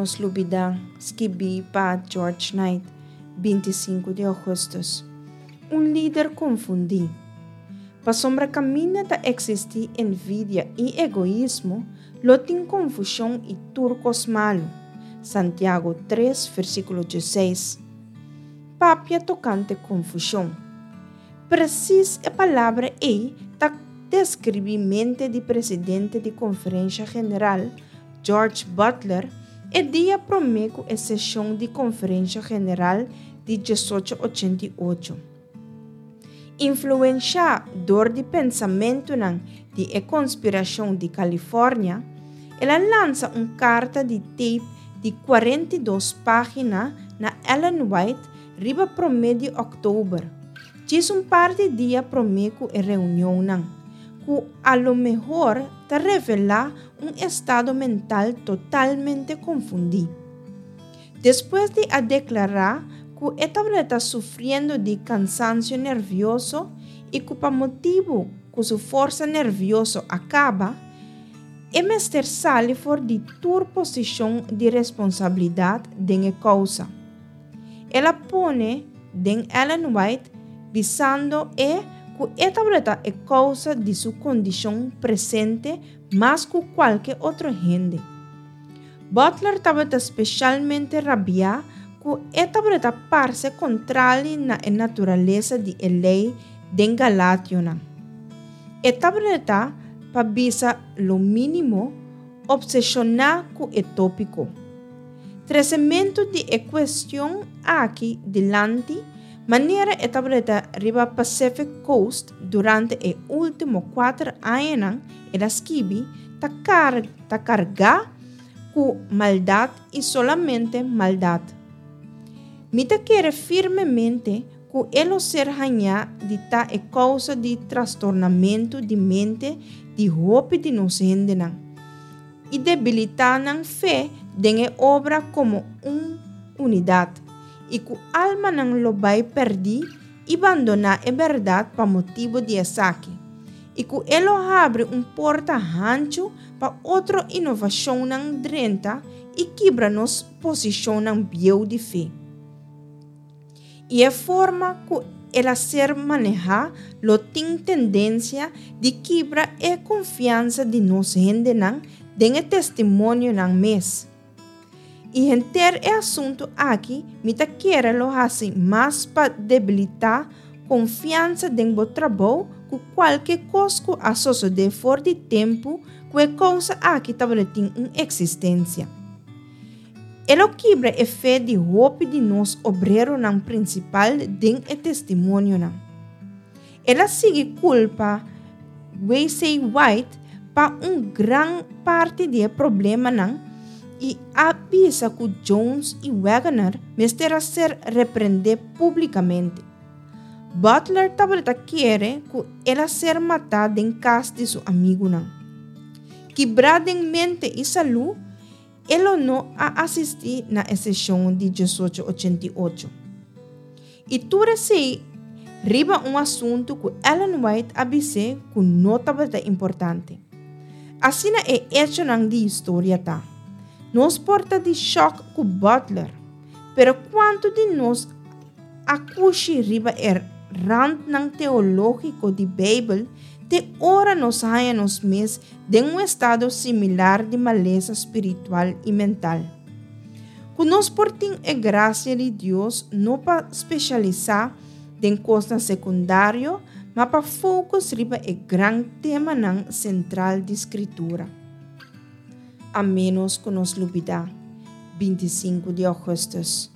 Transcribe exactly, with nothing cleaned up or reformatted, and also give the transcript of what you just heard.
nos lubidá, skibí pa George Knight, binti sinku di ougùstùs. Un lider konfundí. Pasobra kaminda ta eksistí envidia i egoismo, lo tin konfushon i tur kos malu. Santiago tres, versíkulo diesseis. Papia tokante konfushon. Presis e palabra ei ta deskribí mente di presidente di Konferensha General, George Butler, e dia promé ku e seshon di Konferensha General di diesocho ochenta i ocho. Influenshá dor di pensamentunan di e konspirashon di California, el a lansa un karta di tape di kuarenta i dos página na Ellen White riba promé di òktober, djis un par di dia promé ku e reunionnan, ku a lo mehor ta revelá un estado mental totalmente konfundí. Despues di a deklará ku e tabata sufriendo di kansansio nervioso i ku pa motibu ku su forsa nervioso a kaba, e mester sali for di tur posishon di responsabilidat den e kousa. El a pone den Ellen White bisando e ku e tabata e kousa di su kondishon presente mas ku kualke otro hende. Butler tabata speshalmente rabiá ku e tabata parse kontrali na e naturalesa di e lei den Galationan. E tabata, pa bisa lo mínimo, opseshoná ku e tópiko. Tresementu di e kuestion aki dilanti, manera e tabata riba Pacific Coast durante e último kuater añanan, el a skibi, ta kar, ta kargá ku maldat i solamente maldat. Mi ta kere firmemente ku e lo ser hañá di ta e kousa di trastornamentu di mente di hopi di nos hendenan i debilitá nan fe den e obra komo un unidat, i ku almanan lo bai pèrdí i bandoná e bèrdat pa motibu di esaki, i ku e lo habri un porta hanchu pa otro inovashonnan drenta i kibra nos posishonnan bieu di fe. I e forma ku el a ser manehá lo tin tendensia di kibra e konfiansa di nos hendenan den e testimonionan mes. I henter e asuntu aki mi ta kere lo hasi mas pa debilitá konfiansa den bo trabou ku kualke kos ku a sosodé for di tempu ku e kousa aki tabatin un eksistensia. E lo kibra e fe di hopi di nos obreronan prinsipal den e testimonionan. El a sigui kulpa W C White pa un gran parti di e problemanan i a bisa ku Jones i Waggoner mester a ser reprendé públikamente. Butler tabata kere ku el a ser matá den kas di su amigunan. Kibrá den mente i salú, e lo no a asistí na e seshon di diesocho ochenta i ocho. I tur esei riba un asuntu ku Ellen White a bis'é ku no tabata importante. Asina e echonan di historia ta. Nos por ta di shòk ku Butler, pero kuantu di nos a kushi riba e randnan teológiko di Beibel te ora nos haña nos mes den un estado similar di malesa spiritual i mental? Ku nos por tin e grasia di Dios no pa spesialisá den kosnan sekundario, ma pa focus riba e gran temanan sentral di Skritura. A ménos ku nos lubidá, binti sinku di ougùstùs.